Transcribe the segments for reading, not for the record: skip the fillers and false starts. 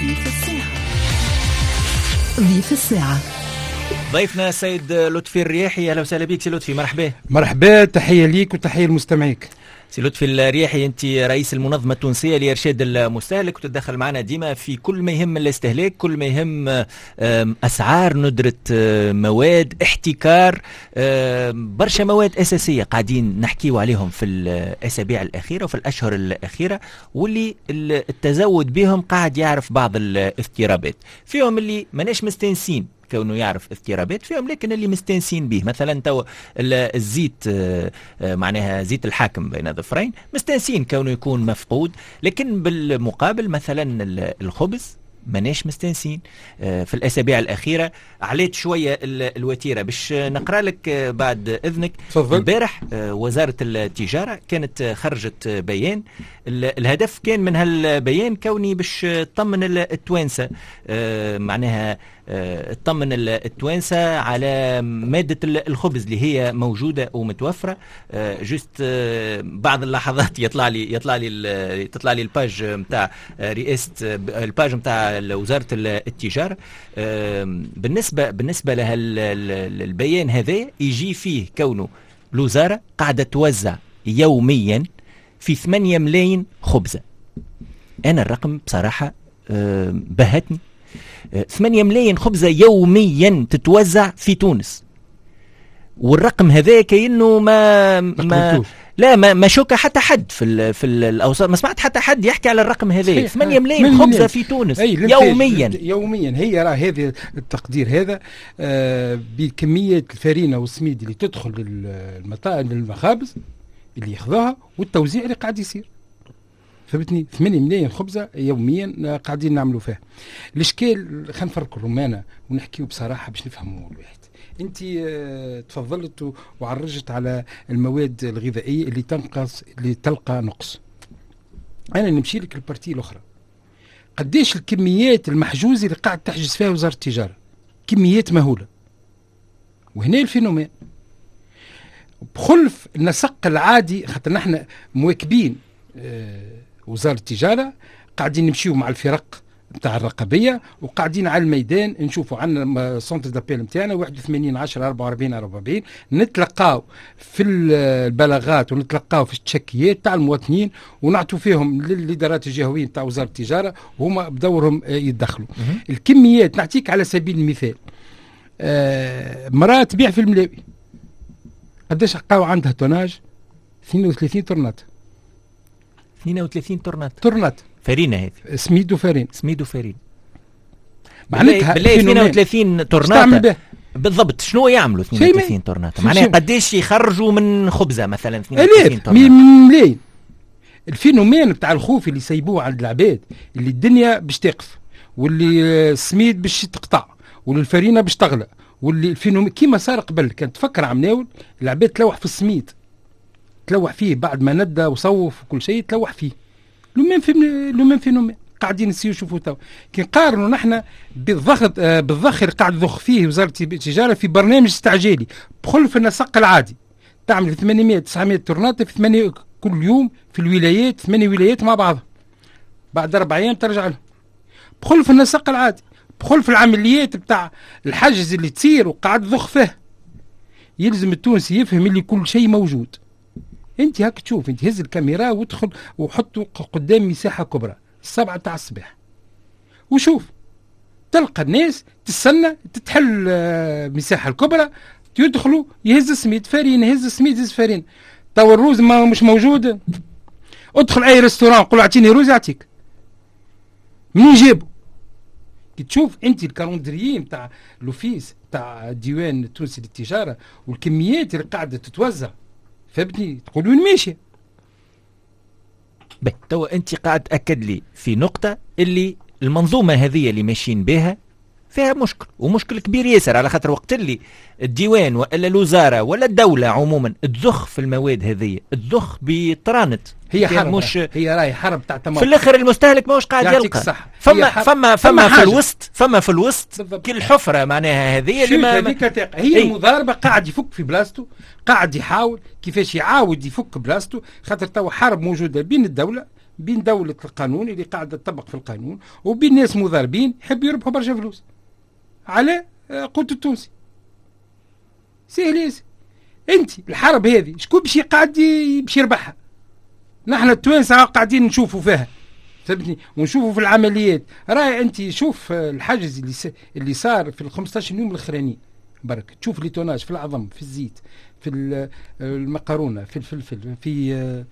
ضيف الساعة. ضيف الساعة. ضيفنا السيد لطفي الرياحي، اهلا وسهلا بك سي لطفي، مرحبا. مرحبا، تحية ليك وتحية لمستمعيك. سي لطفي الرياحي، انت رئيس المنظمة التونسية لارشاد المستهلك، وتتدخل معنا ديما في كل ما يهم الاستهلاك، كل ما يهم اسعار، ندره مواد، احتكار، برشا مواد اساسية قاعدين نحكيو عليهم في الاسابيع الاخيرة وفي الاشهر الاخيرة، واللي التزود بهم قاعد يعرف بعض الاضطرابات، فيهم اللي ماناش مستانسين كونه يعرف اضطرابات فيهم، لكن اللي مستانسين به مثلا تو الزيت، معناها زيت الحاكم بين ظفرين، مستانسين كونه يكون مفقود، لكن بالمقابل مثلا الخبز ماناش مستانسين. في الاسابيع الاخيرة عليت شوية الوتيره. باش نقرا لك بعد اذنك. البارح وزارة التجارة كانت خرجت بيان، الهدف كان من هالبيان كوني باش تطمن التوانسة، معناها تطمن التوانسة على مادة الخبز اللي هي موجودة ومتوفره. juste بعض اللحظات يطلع لي يطلع لي تطلع لي ال page نتاع رئاسة، ال page نتاع وزارة التجاره. بالنسبه لها البيان هذا يجي فيه كونه الوزارة قاعدة توزع يوميا في 8 ملايين خبزه. انا الرقم بصراحة بهتني، 8 ملايين خبزه يوميا تتوزع في تونس، والرقم هذا كأنه ما لا ما شوكه حتى حد في الاوساط، ما سمعت حتى حد يحكي على الرقم هذا. 8 ملايين خبزه في تونس يوميا. يوميا. هي راه هذا التقدير هذا بكمية الفارينه والسميد اللي تدخل للمطاعم للمخابز اللي ياخذوها والتوزيع اللي قاعد يصير. فهمتني؟ 8 ملايين خبزه يوميا قاعدين نعملوا فيها. الاشكال خلينا نفرقوا الرمانه ونحكيو بصراحة باش نفهموا الواحد. انت تفضلت وعرجت على المواد الغذائية اللي تنقص، اللي تلقى نقص. انا نمشي لك ال partie الاخرى. قديش الكميات المحجوزه اللي قاعد تحجز فيها وزارة التجارة؟ كميات مهولة. وهنا ال phénomène بخلف النسق العادي، خاطر نحن مواكبين وزارة التجارة، قاعدين نمشيو مع الفرق نتاع الرقابية وقاعدين على الميدان نشوفوا. عندنا centre d'appel نتاعنا 81 10 44 44، نتلقاو في البلاغات ونتلقاو في التشكيات تاع المواطنين ونعطوا فيهم للادارات الجهوية نتاع وزارة التجارة، وهما بدورهم يتدخلوا. الكميات نعطيك على سبيل المثال، مراة تبيع في الملاوي قداش لقاو عندها tonnage؟ 32 طرنات. 32 طرنات. طرنات فرينه هذه، سميد وفرين. سميد وفرين معناتها بالله 32 طرنات بالضبط. شنو يعملوا 32 طرنات؟ معناها قداش يخرجوا من خبزه مثلا 32 طرنات؟ ملايين. ال phénomène بتاع الخوف اللي سيبوه عند العباد، اللي الدنيا باش تقف، واللي السميد باش تقطع، واللي الفرينة باش تغلى، واللي ال phénomène كيما صار قبل. كانت تفكر عمناول العباد تلوح في السميد، تلوح فيه بعد ما ندى وصوف وكل شيء، تلوح فيه. le même phénomène قاعدين نسيو نشوفوا تو. كي نقارنوا نحن بالضغط، بالضخ اللي قاعد تضخ فيه وزارة التجارة في برنامج استعجالي بخلف النسق العادي، تعمل 800 900 طرنات في 8 كل يوم في الولايات، 8 ولايات مع بعضها، بعد 4 ايام ترجع لهم. بخلف النسق العادي، بخلف العمليات بتاع الحجز اللي تصير وقاعد تضخ فيه. يلزم التونسي يفهم اللي كل شيء موجود. انت هاك تشوف، انت هز الكاميرا وادخل وحطه قدام مساحة كبرى 7 تاع الصباح وشوف، تلقى الناس تستنى تتحل المساحة الكبرى، يدخلوا يهز السميد فارين، يهز السميد يهز فارين. تو الروز ما مش موجود، ادخل اي restaurant قول اعطيني روز يعطيك. منين جابوا؟ كي تشوف انت ال calendrier نتاع l'office تاع الديوان التونسي للتجارة والكميات اللي قاعدة تتوزع، فهمتني؟ تقول وين ماشي؟ باهي، توا انت قاعد تاكد لي في نقطة اللي المنظومة هذه اللي ماشيين بها فيها مشكل، ومشكل كبير ياسر، على خاطر وقت اللي الديوان والا الوزارة ولا الدولة عموما تضخ في المواد هذه، تضخ بطرانت، هي حرب، مش هي راهي حرب تاع في الاخر المستهلك ماهوش قاعد يلقى. صح. فما في الوسط، فما في الوسط كل حفره معناها هذه اللي ما هي المضاربة، قاعد يفك في بلاصته، قاعد يحاول كيفاش يعاود يفك بلاصته، خاطر تو حرب موجودة بين الدولة بين دولة القانون اللي قاعدة تطبق في القانون وبين ناس مضاربين يحبوا يربحوا برشا فلوس على قوت التونسي. سهل ياسر. انت الحرب هذه شكون باش يقعد باش يربحها؟ نحن التوانسة قاعدين نشوفوا فيها، فهمتني، ونشوفوا في العمليات. راهي انت شوف الحجز اللي صار في ال 15 يوم الاخرانيين برك، تشوف les tonnages في العظم، في الزيت، في المقارونه، في الفلفل، في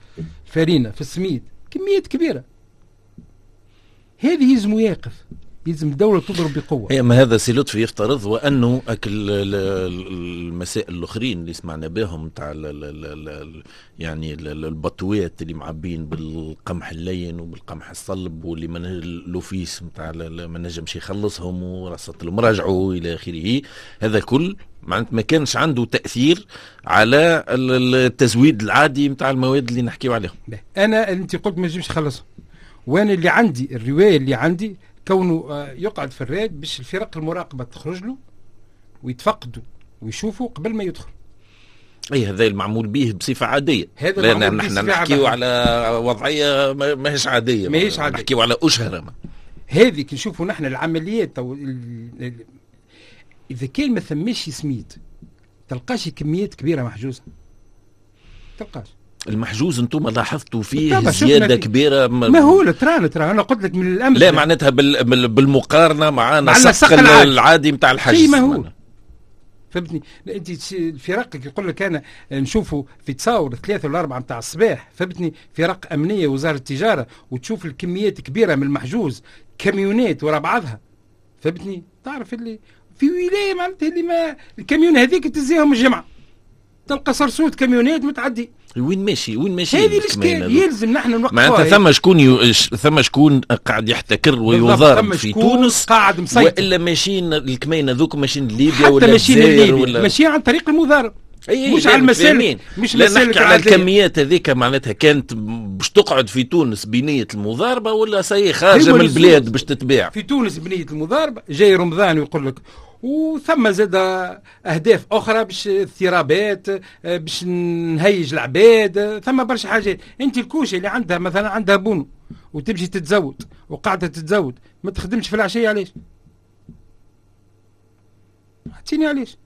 الفارينه، في السميد، كميات كبيرة. هذه يلزم يقف، يلزم الدولة تضرب بقوة. إيه، ما هذا سي لطفي يفترض وأنه أكل المسائل الآخرين اللي سمعنا بهم تاع يعني البطوات اللي معبين بالقمح اللين وبالقمح الصلب واللي من l'office نتاع ما نجمش يخلصهم ورصت المراجعة إلى آخره، هذا كل معناتها ما كانش عنده تأثير على التزويد العادي نتاع المواد اللي نحكيو عليهم. أنا أنت قلت ما نجمش يخلصهم، وأنا اللي عندي الرواية اللي عندي كونه يقعد في الراد باش الفرق المراقبة تخرج له ويتفقدوا ويشوفوا قبل ما يدخل. اي هذا المعمول به بصفة عادية، لأن نحن نحكيو على وضعية ماهيش عادية، ماهيش عادية، نحكيو على أشهر. هذه كي نشوفوا نحن العمليات إذا كان ما ثماش سميد تلقاش كميات كبيرة محجوزة، تلقاش المحجوز. انتم لاحظتوا فيه زيادة كبيرة؟ ما هو ترى انا قلت لك من الامس. لا معناتها بالمقارنة مع نسق العادي نتاع الحجز. ما هو فهمتني انت الفرق يقول لك انا نشوفوا في تصاور 3 ولا 4 نتاع الصباح، فهمتني، فرق امنية وزارة التجارة، وتشوف الكميات كبيرة من المحجوز، كاميونات ورا بعضها، فهمتني، تعرف اللي في ولاية معناتها اللي ما الكاميون هذيك تزيهم الجمعة تلقى صرصوت كاميونات متعدي. وين ماشي؟ وين ماشي؟ هذه الاشكال يلزم نحن نوقفوها. معناتها ثم شكون قاعد يحتكر ويضارب في تونس، قاعد مسيطر، والا ماشيين الكمين هذوك ماشيين لليبيا ولا الجزائر ولا ماشيين عن طريق المضارب، مش على المسالك، مش مسالك على الكميات هذيك. معناتها كانت باش تقعد في تونس بنية المضاربة ولا سي خارجة من البلاد باش تتباع في تونس بنية المضاربة؟ جاي رمضان ويقول لك، وثم زاد اهداف اخرى باش اضطرابات، باش نهيج العباد، ثم برشا حاجات. انت الكوشة اللي عندها مثلا عندها bon وتمشي تتزود وقاعدة تتزود، ما تخدمش في العشية، علاش؟ اعطيني علاش؟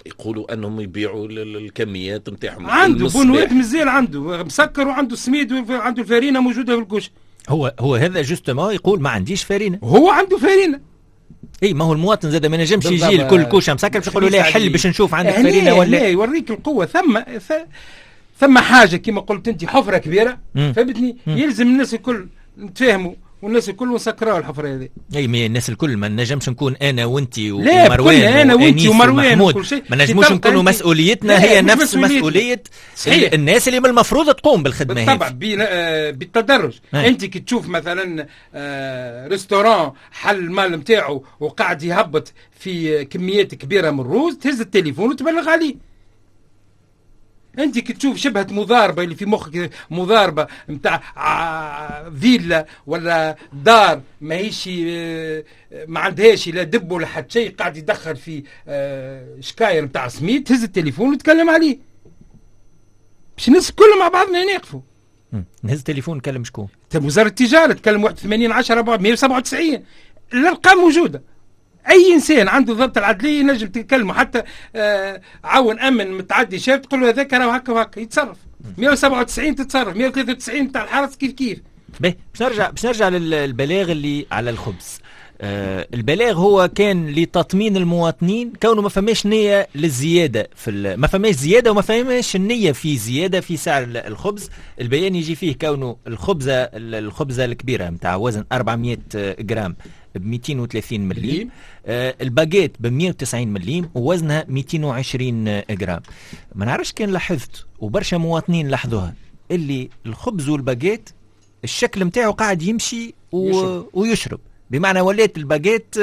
يقولوا انهم يبيعوا الكميات نتاعهم. عنده بونوات مازال عنده مسكر وعنده سميد وعنده الفارينه موجودة في الكوشة. هو هذا justement يقول ما عنديش فارينه، هو عنده فارينه. اي ما هو المواطن زاد ما نجمش يجي لكل كوشة مسكر باش يقولوا لا حل باش نشوف عندك فارينه ولا لا. يوريك القوة. ثم حاجة كما قلت انت، حفره كبيرة، فهمتني، يلزم الناس الكل نتفاهموا والناس الكل نسكروا الحفرة هذه. اي mais الناس الكل ما نجمش نكون انا وانت ومروان، انا وانت ومروان وكل شيء، ما نجموش نكونوا مسؤوليتنا هي نفس مسؤولية الناس اللي من المفروض تقوم بالخدمة هذه. بالطبع بالتدرج. انت كي تشوف مثلا restaurant حل المال نتاعو وقاعد يهبط في كميات كبيرة من الروز، تهز التليفون وتبلغ عليه. انت كي تشوف شبهه مضاربة اللي في مخك، مضاربة نتاع فيلا ولا دار ماهيش ما عندهاش لا dépôt ولا حتى شيء، قاعد يدخل في شكاير نتاع سميد، تهز التليفون وتكلم عليه باش الناس الكل مع بعضنا نقفوا. نهز التليفون نكلم شكون؟ وزارة التجارة تكلم 81 10 197، الارقام موجودة. اي انسان عنده ضبط العدليه ينجم تكلمه، حتى عون امن متعدي شاف تقول له هذاك راه هكا وهكا يتصرف. 197 تتصرف، 193 تاع الحرس كيف كيف. باهي باش نرجع للبلاغ اللي على الخبز. البلاغ هو كان لتطمين المواطنين كونه ما فماش نية للزيادة في ما فماش زيادة وما فماش النية في زيادة في سعر الخبز. البيان يجي فيه كونه الخبزة الكبيرة نتاع وزن 400 جرام ب 230 مليم، الباجيت ب 190 مليم ووزنها 220 جرام. ما نعرفش كان لاحظت وبرشا مواطنين لاحظوها اللي الخبز والباجيت الشكل نتاعو قاعد يمشي ويشرب، بمعنى ولات الباجيت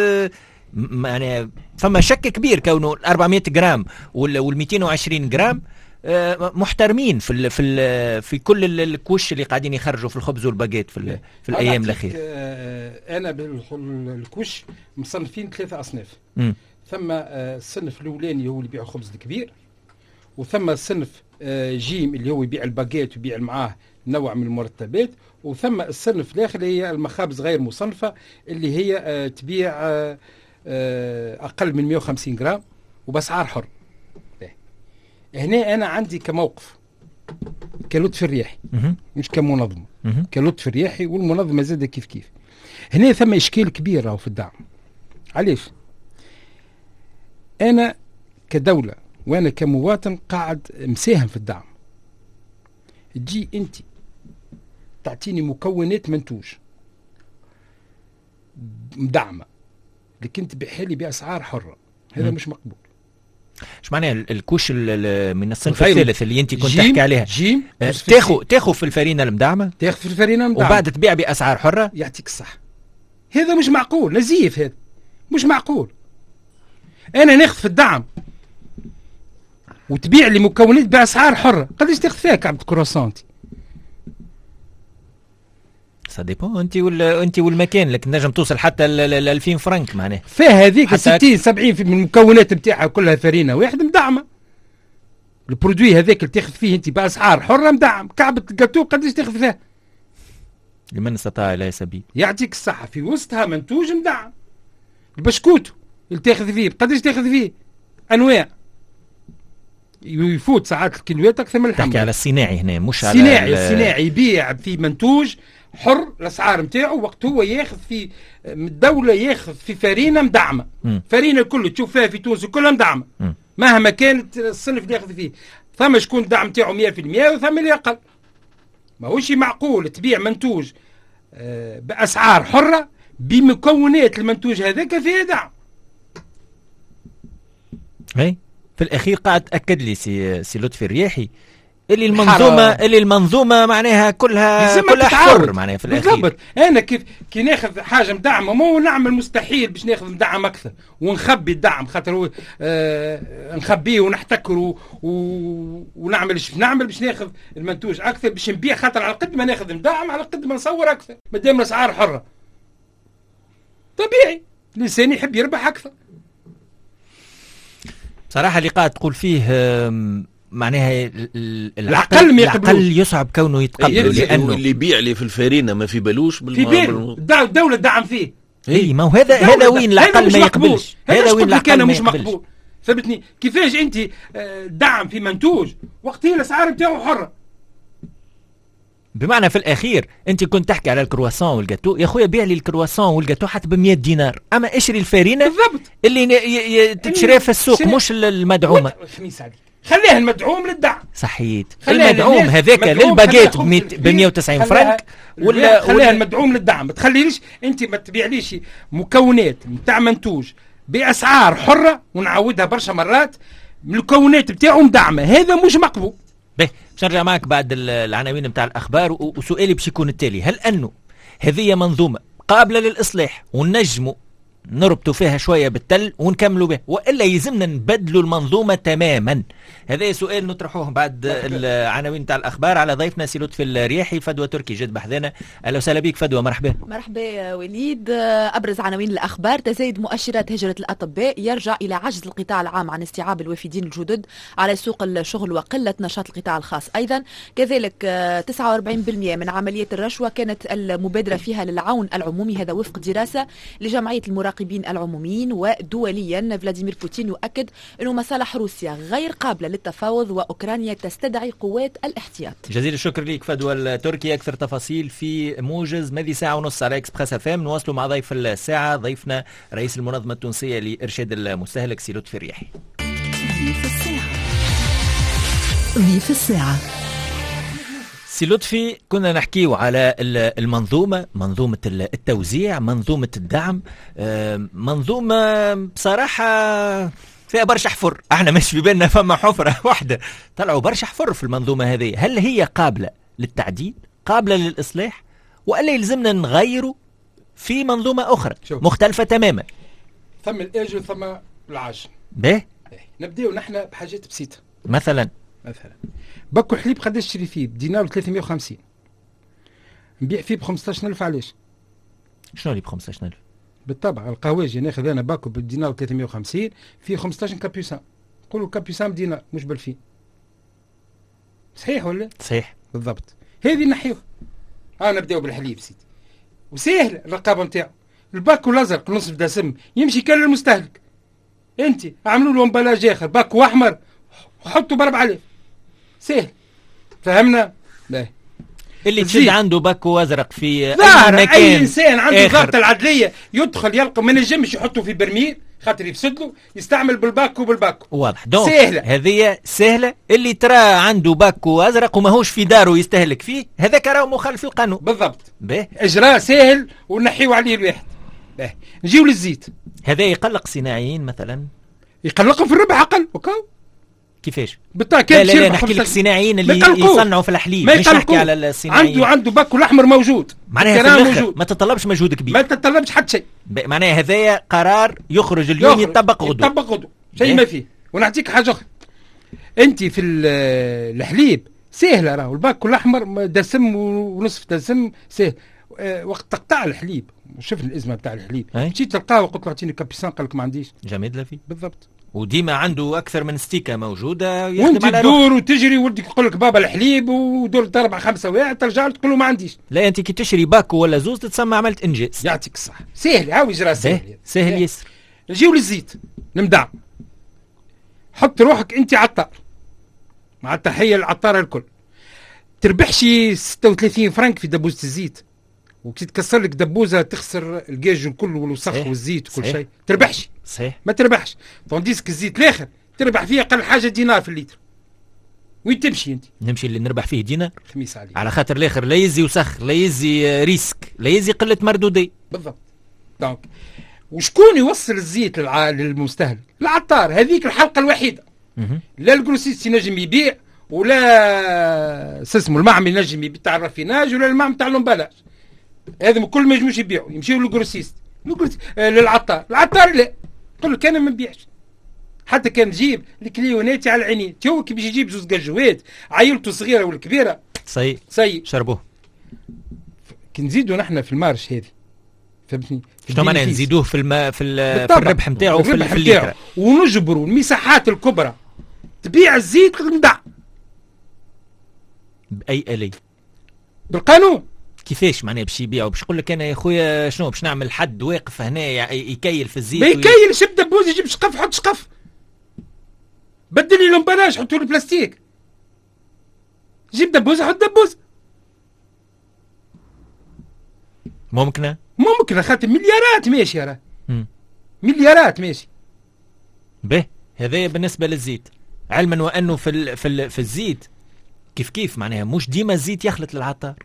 يعني فما شك كبير كونه 400 جرام وال 220 جرام محترمين في في في كل ال couches اللي قاعدين يخرجوا في الخبز والباجيت في الايام الاخيرة. انا بال couches مصنفين 3 اصناف. ثم الصنف الاولاني هو اللي يبيع الخبز الكبير، وثم الصنف جيم اللي هو يبيع الباجيت ويبيع معاه نوع من المرتبات. وثم الصنف الاخر اللي هي المخابز غير مصنفه اللي هي تبيع اقل من 150 جرام وباسعار حر. هنا انا عندي كموقف كلطفي الرياحي مش كمنظمه، كلطفي الرياحي والمنظمه زاده كيف كيف. هنا ثم اشكال كبير راهو في الدعم. علاش؟ انا كدولة وانا كمواطن قاعد مساهم في الدعم. تجي انت تعطيني مكونات منتوج مدعمه لكن تبيعها لي باسعار حره، هذا مش مقبول. اش معناها ال couche من الصنف الثالث اللي انت كنت تحكي عليها؟ جيم تاخذ في الفرينة المدعمه، تاخذ في الفرينة المدعمه وبعد تبيع باسعار حره. يعطيك الصح. هذا مش معقول، نزيف، هذا مش معقول. انا ناخذ في الدعم وتبيع لي مكونات باسعار حره، قداش تاخذ فيها كعبه كرواسون؟ ça dépend انت ولا انت والمكان، لكن نجم توصل حتى ل 2000 فرنك معناها. فيها هذيك 60 70 من المكونات نتاعها كلها فرينه واحد مدعمه. ال produit هذاك اللي تاخذ فيه انت باسعار حره مدعم. كعبه الجاتو قداش تاخذ فيها؟ لمن استطاع الى سبيل. يعطيك الصحة، في وسطها منتوج مدعم. البشكوتو اللي تاخذ فيه قداش تاخذ فيه؟ انواع يفوت ساعات الكيلوات اكثر من اللحم. تحكي على الصناعي هنا مش على الصناعي. الصناعي يبيع في منتوج حر الاسعار نتاعو وقت هو ياخذ في من الدولة، ياخذ في فرينه مدعمه. فرينه الكل تشوف فيها في تونس كلها مدعمه مهما كانت الصنف اللي ياخذ فيه. ثم شكون الدعم نتاعو 100% وثم اللي اقل. ماهوش معقول تبيع منتوج باسعار حره بمكونات المنتوج هذاك فيه دعم. اي في الاخير قاعد تاكد لي سي لطفي الرياحي اللي المنظومة معناها كلها حر معناها في الاخير. بالضبط. انا كيف كي ناخذ حاجة مدعمه مو نعمل مستحيل باش ناخذ مدعم اكثر ونخبي الدعم، خاطر هو نخبيه ونحتكره ونعمل ايش نعمل باش ناخذ المنتوج اكثر باش نبيع، خاطر على قد ما ناخذ مدعم على قد ما نصور اكثر مادام الاسعار حره. طبيعي الانسان يحب يربح اكثر. بصراحة اللي قاعد تقول فيه معناها العقل يصعب كونه يتقبله، لانه اللي يبيع لي في الفارينه ما في بالوش في باله الدولة تدعم فيه. اي ما هو هذا وين العقل ما يقبلش. هذا وين العقل مش مقبول. ثبتني كيفاش انت دعم في منتوج وقت هي الاسعار نتاعو حره. بمعنى في الاخير انت كنت تحكي على ال croissant وال gâteau، يا خويا بيع لي ال croissant وال gâteau حتى ب 100 دينار، اما اشري الفارينه بالضبط اللي تتشري في السوق مش المدعومه. خميس عليك، خليها المدعوم للدعم. صحيت، المدعوم هذاك للباجيت ب 190 فرنك ولا خليها المدعوم للدعم. ما تخليليش انت ما تبيعليش مكونات نتاع منتوج باسعار حره ونعاودها برشا مرات المكونات نتاعو مدعمه، هذا مش مقبول. باهي باش نرجع معك بعد العناوين نتاع الاخبار، وسؤالي باش يكون التالي: هل انه هذه منظومة قابله للاصلاح ونجموا نربطوا فيها شوية بالتل ونكملوا به، والا يلزمنا نبدلوا المنظومة تماما؟ هذا سؤال نطرحوه بعد العناوين تاع الاخبار على ضيفنا سي لطفي الرياحي. فدوى تركي جد بحذانا، اهلا وسهلا بك فدوى، مرحبا. مرحبا وليد. ابرز عناوين الاخبار: تزايد مؤشرات هجره الاطباء يرجع الى عجز القطاع العام عن استيعاب الوافدين الجدد على سوق الشغل وقلة نشاط القطاع الخاص ايضا. كذلك 49% من عمليات الرشوة كانت المبادرة فيها للعون العمومي، هذا وفق دراسة لجمعية المراقبين العموميين. ودوليا فلاديمير بوتين يؤكد أن مصالح روسيا غير قابلة للتفاوض وأوكرانيا تستدعي قوات الاحتياط. جزيل الشكر لك فدوى التركي. أكثر تفاصيل في موجز ماذي ساعة ونص على Express FM. نواصلوا مع ضيف الساعة، ضيفنا رئيس المنظمة التونسية لإرشاد المستهلك سي لطفي الرياحي. ضيف الساعة، ضيف الساعة. سي لطفي، كنا نحكيو على المنظومة، منظومة التوزيع، منظومة الدعم، منظومة بصراحة فيها برشا حفر. احنا مش في بالنا فما حفرة واحدة، طلعوا برشا حفر في المنظومة هذه. هل هي قابلة للتعديل، قابلة للإصلاح، وإلا يلزمنا نغيروا في منظومة أخرى مختلفة تماما؟ ثم الآجل وثم العاجل. به نبدأ نحن بحاجات بسيطة. مثلا باكو حليب قداش تشري فيه؟ بدينار 350، نبيع فيه ب 15000. علاش؟ شنو اللي ب 15000؟ بالطبع القهواجي ناخذ انا باكو بالدينار 350 فيه 15 capucins، نقولوا capucin بدينار مش ب 2000. صحيح ولا؟ صحيح بالضبط. هذه نحيوها. نبداو بالحليب سيدي، وسهل الرقابة نتاعو. الباكو الازرق نصف دسم يمشي كان للمستهلك. انت عملوا له emballage اخر، باكو احمر حطوا ب 4000، سهل. فهمنا؟ لا اللي تشد عنده باكو ازرق في اي مكان، اي انسان عنده ضابط العدليه يدخل يلقى ما نجمش يحطه في برميل خاطر يفسد له، يستعمل بالباكو بالباكو. واضح. donc سهلة هذه، سهلة. اللي ترى عنده باكو ازرق وماهوش في داره يستهلك فيه، هذاك راهو مخالف للقانون. بالضبط. اجراء سهل ونحيو عليه الواحد. به نجيو للزيت. هذا يقلق صناعيين مثلا، يقلقهم في الربح اقل. وكاو كيفاش؟ بالطبع. لا لا نحكي لك الصناعيين اللي يصنعوا في الحليب، مش نحكي على الصناعيين. عنده باكو الاحمر موجود، معناها في موجود. ما تطلبش مجهود كبير، ما تطلبش حتى شيء. معناها هذايا قرار يخرج اليوم يطبق غدوه، يطبق غدوه، شيء ما فيه. ونعطيك حاجة اخرى، انت في الحليب سهلة راهو الباكو الاحمر دسم ونصف دسم سهل. وقت تقطع الحليب، شفنا الازمة بتاع الحليب، مشيت تلقاه وقلت له اعطيني كابيسان، قال لك ما عنديش. جميل لفي. بالضبط. وديما عنده اكثر من ستيكه موجودة، وانت تدور وتجري ولدك يقول لك بابا الحليب، ودور 4 5 واحد ترجع له تقول له ما عنديش. لا انت كي تشري باكو ولا زوز تتسمى عملت انجاز. يعطيك الصحة. سهل، هاو اجراء سهل. سهل ياسر. نجيو للزيت المدعم. حط روحك انت عطار، مع التحية للعطاره الكل، تربحش 36 فرنك في دبوزه الزيت، وكي تكسر لك دبوزه تخسر الجاج الكل والوسخ والزيت وكل شيء. تربحش. صحيح. ما تربحش. tandis que الزيت الاخر تربح فيه اقل حاجة دينار في الليتر. وين تمشي انت؟ نمشي اللي نربح فيه دينار. خميس عليك. على خاطر الاخر لا يزي وسخ، لا يزي risque، لا يزي قلة مردوديه. بالضبط. donc وشكون يوصل الزيت للمستهلك؟ العطار. هذيك الحلقة الوحيدة. لا ال grossiste ينجم يبيع، ولا سسمو المعمل ينجم يبيع تاع ال raffinage، ولا المعمل تاع l'emballage. هذا كل ما ينجموش يبيعوا، يمشيو لل grossiste، للعطار. العطار لا، يقول لك انا ما نبيعش، حتى كان نجيب الكليوناتي على العينين. تو كي باش يجيب زوز قجوات عائلته الصغيرة والكبيرة سي شربوه. كي نزيدوا نحن في ال marge هذه، فهمتني؟ شنو معناها نزيدوه في في الربح نتاعو في الليتر، ونجبروا المساحات الكبرى تبيع الزيت المدع باي آلية؟ بالقانون. كيفاش معناها باش يبيعوا؟ باش يقول لك انا يا خويا شنو باش نعمل حد واقف هنا يكيل في الزيت؟ ما يكيل، شب دبوز يجيب شقف، حط شقف، بدل لي l'emballage، حطوا له بلاستيك، جيب دبوز حط دبوز. ممكنة؟ ممكنة، خاطر مليارات ماشية راه. مليارات ماشي. به هذا بالنسبة للزيت، علما وانه في الزيت كيف كيف معناها مش ديما الزيت يخلط للعطار.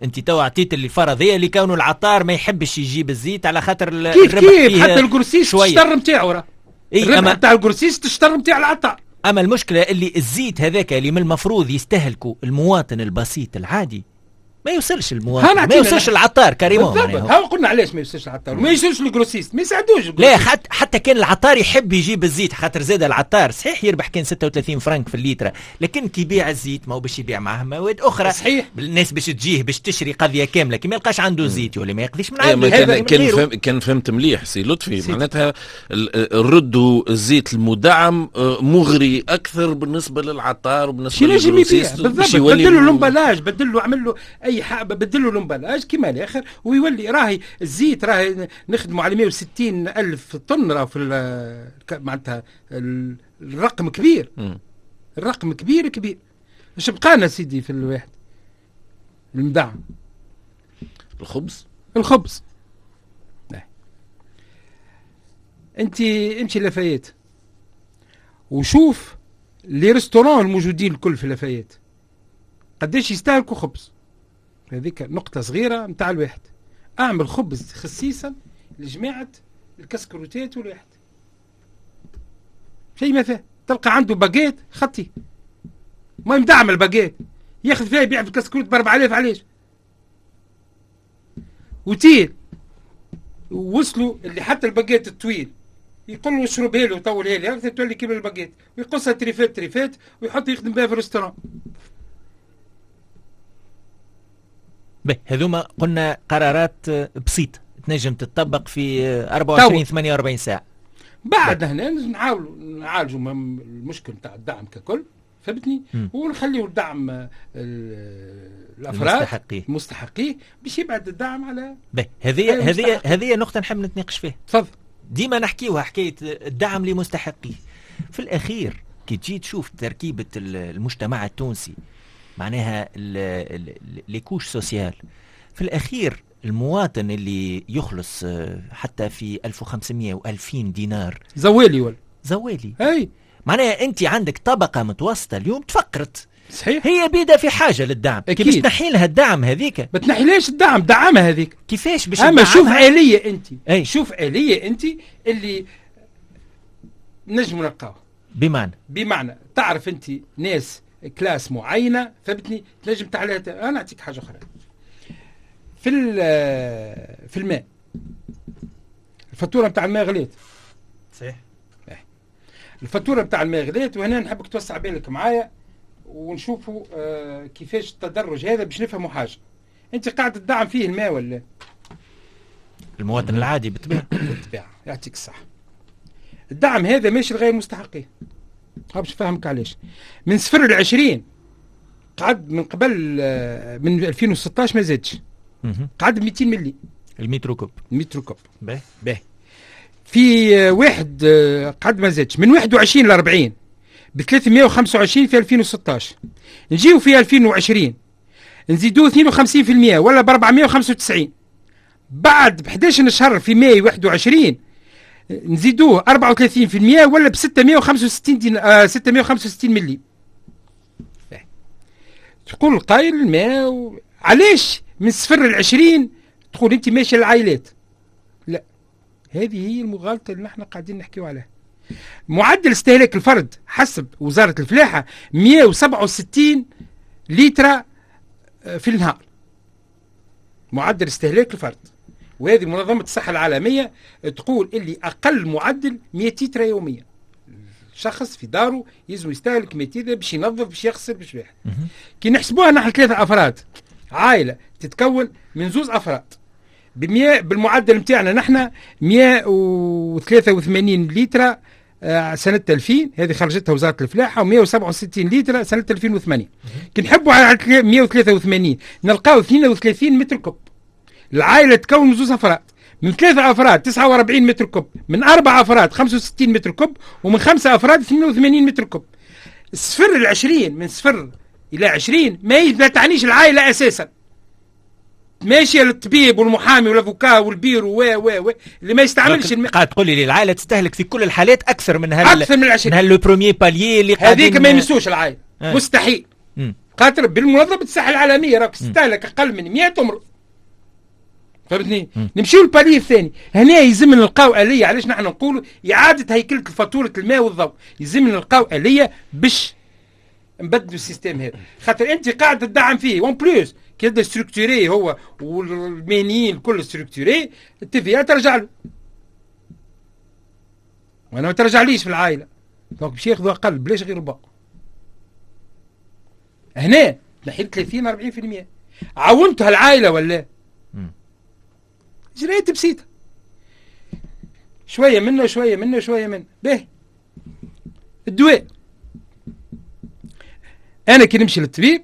انت تو عطيت اللي الفرضية اللي كونه العطار ما يحبش يجيب الزيت على خاطر كيف كيف حتى ال grossiste الشطر نتاعو راه. إيه الربح نتاع ال grossiste الشطر نتاع العطار. اما المشكلة اللي الزيت هذاك اللي من المفروض يستهلكه المواطن البسيط العادي ما يوصلش المواطن، ما يوصلش العطار carrément. ها قلنا علاش ما يوصلش العطار وما يوصلش ال grossiste، ما يساعدوش. لا حتى كان العطار يحب يجيب الزيت، خاطر زاد العطار صحيح يربح كان 36 فرنك في الليتر، لكن كي يبيع الزيت ما هو باش يبيع معاه مواد اخرى. صحيح. الناس باش تجيه باش تشري قضية كاملة، كي ما يلقاش عنده زيت ولا ما يقضيش من عنده. كان فهمت مليح سي لطفي، معناتها ردوا الزيت المدعم مغري اكثر بالنسبة للعطار وبالنسبة لل grossiste. بالضبط. بدلوا l'emballage، بدلوا عمل له اي بدلوا l'emballage كيما الاخر ويولي راهي الزيت راهي نخدموا على 160 الف طن راه في معناتها الرقم كبير. الرقم كبير كبير. اش بقانا سيدي في الواحد المدعم؟ الخبز. الخبز انت امشي لافايت وشوف les restaurants الموجودين الكل في لافايت قداش يستهلكوا خبز. هذيك نقطة صغيرة متاع الواحد. أعمل خبز خصيصا لجماعة الكسكروتات والواحد شيء ما فيه، تلقى عنده باجيت خطي ما يمدعم الباجيت ياخذ فيها يبيع في الكسكروت ب 4000. علاش؟ وتيل وصلوا اللي حتى الباجيت الطويل يقول له اشربها له وطولها لي تولي كيما الباجيت، ويقصها تريفات تريفات ويحط يخدم بها في ال restaurant. به هذوما قلنا قرارات بسيطة تنجم تتطبق في 24 48 ساعة. بعد هنا نحاولوا نعالجوا المشكل نتاع الدعم ككل. فهمتني؟ ونخليو الدعم الافراد المستحقيه باش يبعد الدعم على هذه نقطة نحب نتناقش فيها. تفضل. ديما نحكيوها حكاية الدعم لمستحقيه. في الاخير كي تجي تشوف تركيبه المجتمع التونسي، معناها les couches sociales، في الاخير المواطن اللي يخلص حتى في 1500 و2000 دينار زوالي ولا زوالي. اي معناها انت عندك طبقه متوسطه اليوم تفقرت. صحيح. هي بيدا في حاجة للدعم. كي باش تنحي لها الدعم هذيك، ما تنحيلهاش الدعم، دعمها هذيك. كيفاش باش؟ اما شوف آلية انت. أي. شوف آلية انت اللي نجم نلقاوها. بمعنى تعرف انت ناس classe معينة، فهمتني، تنجم تعليها. انا نعطيك حاجة اخرى في الماء. الفاتورة نتاع الماء غليت. صحيح. الفاتورة نتاع الماء غليت، وهنا نحبك توسع بالك معايا ونشوفوا كيفاش التدرج هذا باش نفهموا حاجة. انت قاعد تدعم فيه الماء ولا المواطن العادي؟ بالطبيعة. بالطبيعة، يعطيك الصحة. الدعم هذا ماشي لغير مستحقيه. باش نفهمك علاش. من 0 ل 20 قعد من قبل من 2016 ما زادش، قعد 200 ملي ال mètre cube. ال mètre cube. باهي. باهي. في واحد قعد ما زادش من 21 ل 40 ب 325 في 2016. نجيو في 2020 نزيدوه 52% ولا ب 495. بعد ب 11 شهر في ماي 21 نزيدوه 34% ولا ب 665 ملي. تقول القايل الماء علاش من 0 ل 20 تقول انت ماشي للعائلات؟ لا، هذه هي المغالطة اللي نحن قاعدين نحكيو عليها. معدل استهلاك الفرد حسب وزارة الفلاحة 167 لتر في النهار، معدل استهلاك الفرد. وهذه منظمة الصحة العالمية تقول اللي أقل معدل 100 لتر يوميا. شخص في داره يلزم يستهلك 100 لتر باش ينظف، باش يغسل، باش واحد. كي نحسبوها نحن 3 أفراد، عائلة تتكون من 2 أفراد، بالمعدل نتاعنا نحن 183 لتر سنة 2000، هذه خرجتها وزارة الفلاحة، و167 لتر سنة 2008. كي نحبوا على 183 نلقاو 32 mètre cube. العائلة تكون من 2 أفراد، من 3 أفراد 49 mètre cube، من 4 أفراد 65 mètre cube، ومن 5 أفراد 82 mètre cube. الصفر العشرين، من 0 إلى 20 ما تعنيش العائلة أساسا. ماشية للطبيب والمحامي وال avocat وال bureau و و و اللي ما يستعملش قاعد تقول لي العائلة تستهلك في كل الحالات اكثر من هال اكثر من 20، من هال le premier palier اللي هذيك ما يمسوش العائلة. مستحيل. خاطر بالمنظمه الصحة العالمية راك تستهلك اقل من 100 تمرض. فهمتني؟ نمشيو لل palier الثاني. هنا يلزم نلقاو آلية. علاش نحن نقولوا اعاده هيكله فاتورة الماء والضوء؟ يلزم نلقاو آلية باش نبدلوا ال système هذا، خاطر انت قاعد تدعم فيه en plus كي يبدا structuré هو والمهنيين الكل structurés، ال TVA ترجع له، وانا ما ترجعليش في العائلة، donc باش ياخذوا اقل بلاش غير ربع. هنا نحيت 30 40%. عاونتها العائلة ولا؟ اجراءات بسيطة، شوية منه شوية منه شوية منه. باهي. الدواء، انا كي نمشي للطبيب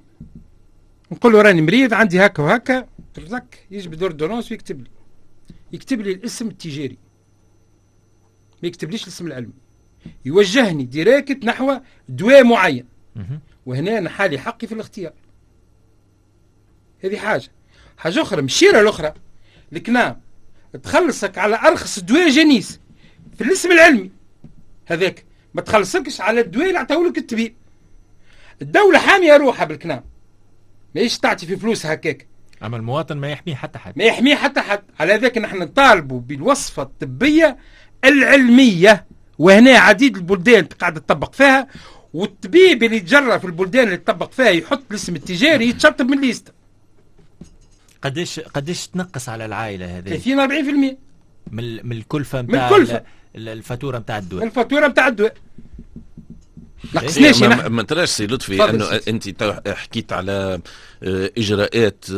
نقول له راني مريض عندي هكا وهكا، ترزك يجبد ordonnance ويكتب لي، يكتب لي الاسم التجاري، ما يكتبليش الاسم العلمي، يوجهني direct نحو دواء معين. وهنا انا حالي حقي في الاختيار. هذه حاجة. حاجة اخرى، مشيره الاخرى، الكنام تخلصك على ارخص دواء جنيس في الاسم العلمي هذاك، ما تخلصكش على الدواء اللي عطاهولك الطبيب. الدولة حامية روحها بالكنام، ماهيش تعطي في فلوس هكاك. اما المواطن ما يحميه حتى حد، ما يحميه حتى حد. على ذاك نحن نطالبوا بالوصفة الطبية العلمية، وهنا عديد البلدان قاعدة تطبق فيها، والطبيب اللي يتجرى في البلدان اللي تطبق فيها يحط الاسم التجاري يتشطب من liste. قديش تنقص على العائلة هذه؟ 30 40% من الكلفة نتاع الفاتورة نتاع الدواء. الفاتورة نتاع الدواء. نقصناش. ما تراش سي لطفي انه انت حكيت على اجراءات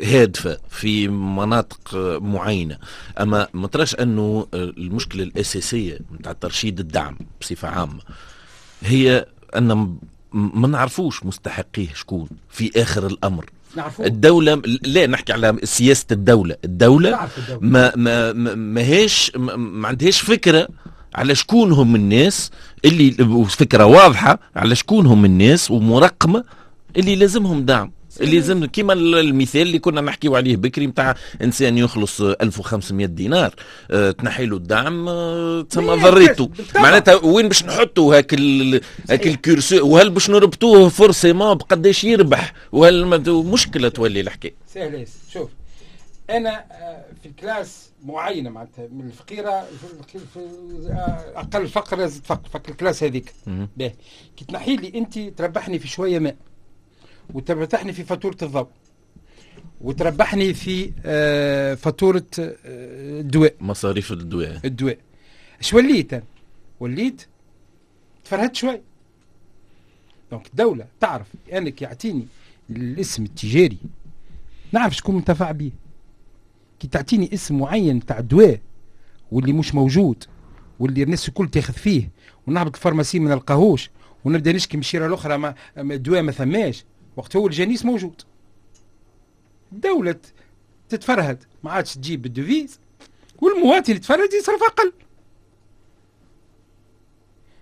هادفة في مناطق معينة، اما ما تراش انه المشكلة الاساسية نتاع ترشيد الدعم بصفة عامة هي ان ما نعرفوش مستحقيه شكون في اخر الامر. نعرفوه. الدولة لا، نحكي على سياسة الدولة. الدولة ما ما ما هيش ما عندهاش فكرة على شكون هم الناس اللي، فكرة واضحة على شكون هم الناس ومرقمه اللي لازمهم دعم، اللي لازم، كيما المثال اللي كنا نحكيو عليه بكري نتاع انسان يخلص 1500 دينار، تنحي له الدعم، تسمى ضريته. معناتها وين باش نحطوا هاك ال curseur؟ وهل باش نربطوه forcément بقداش يربح؟ وهل مشكلة تولي الحكاية؟ سهل. شوف، انا في classe معينه، معناتها من الفقيرة في اقل فقر فقر في ال classe هذيك، باهي، كي تنحي لي انت تربحني في شوية ماء وتربحني في فاتورة الضوء وتربحني في فاتورة الدواء. مصاريف الدواء. الدواء. اش وليت أنا؟ وليت تفرهدت شوي. donc الدولة تعرف انك يعطيني الاسم التجاري نعرف شكون منتفع به. كي تعطيني اسم معين تاع دواء واللي مش موجود واللي الناس الكل تاخذ فيه، ونهبط ال pharmacie ما نلقاهوش ونبدا نشكي من الشيره الاخرى ما الدواء ما ثماش، وقت هو الجنيس موجود. الدولة تتفرهد ما عادش تجيب بال devise، والمواطن يتفرهد يصرف أقل.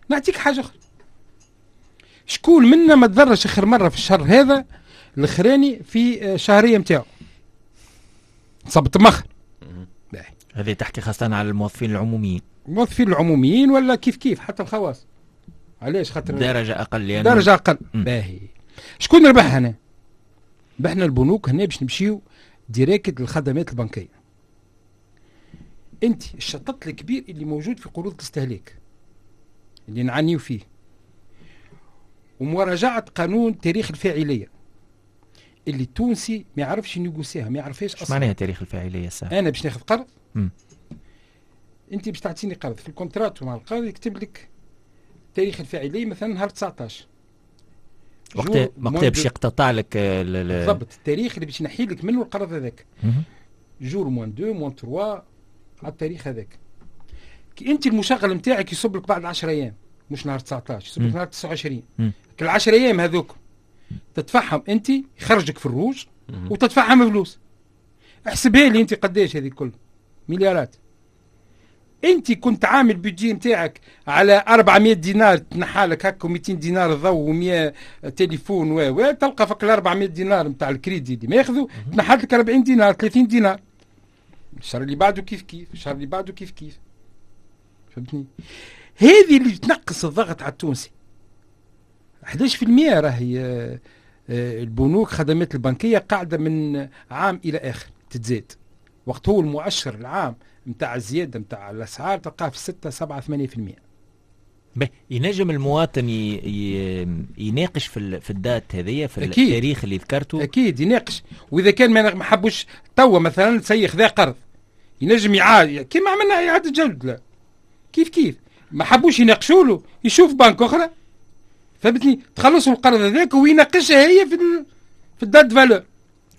نعطيك حاجة أخرى، شكون منا ما تضرش آخر مرة في الشهر هذا الأخراني في الشهرية نتاعو صبت مخر؟ هذه تحكي خاصة على الموظفين العموميين. الموظفين العموميين ولا كيف كيف حتى الخواص. علاش؟ خاطر درجة أقل يعني. درجة أقل. باهي، شكون ربح هنا؟ ربحنا البنوك. هنا باش نمشيو direct للخدمات البنكية. انت الشطط الكبير اللي موجود في قروض الاستهلاك اللي نعانيو فيه، ومراجعة قانون تاريخ الفاعلية اللي التونسي ما يعرفش ينيغوسيها، ما يعرفهاش اصلا. معناها تاريخ الفاعلية الساعة؟ انا باش ناخذ قرض، انت باش تعطيني قرض، في ال contrat مع القرض يكتب لك تاريخ الفاعلية مثلا نهار 19. وقت باش يقتطع لك. بالضبط، التاريخ اللي باش ينحي لك منه القرض هذاك، jour moins 2 moins 3 على التاريخ هذاك. كي انت المشغل نتاعك يصب لك بعد 10 ايام، مش نهار 19، يصب لك نهار 29، كل 10 ايام هذوك تدفعهم انت يخرجك في الروج وتدفعهم فلوس. احسبها لي انت قداش هذه الكل مليارات. انت كنت عامل budget نتاعك على 400 دينار، تنحى لك هكا 200 دينار ضوء و100 تليفون و تلقى فك ال 400 دينار نتاع الكريدي اللي ماخذه تنحى لك 40 دينار، 30 دينار. الشهر اللي بعده كيف كيف، الشهر اللي بعده كيف كيف. فهمتني؟ هذه اللي تنقص الضغط على التونسي. 11% راهي البنوك خدمات البنكية قاعدة من عام الى اخر تتزاد، وقت هو المؤشر العام نتاع الزيادة نتاع الاسعار تلقاه في 6 7 8%. ينجم المواطن يناقش في ال date هذيا، في أكيد. التاريخ اللي ذكرته؟ اكيد يناقش، واذا كان ما حبوش توا مثلا سي خذا قرض ينجم يعاد كيما عملنا اعاده جدوله كيف كيف. ما حبوش يناقشوا له يشوف بنك اخرى، فهمتني، تخلصوا القرض هذاك ويناقشها هي في ال date valeur.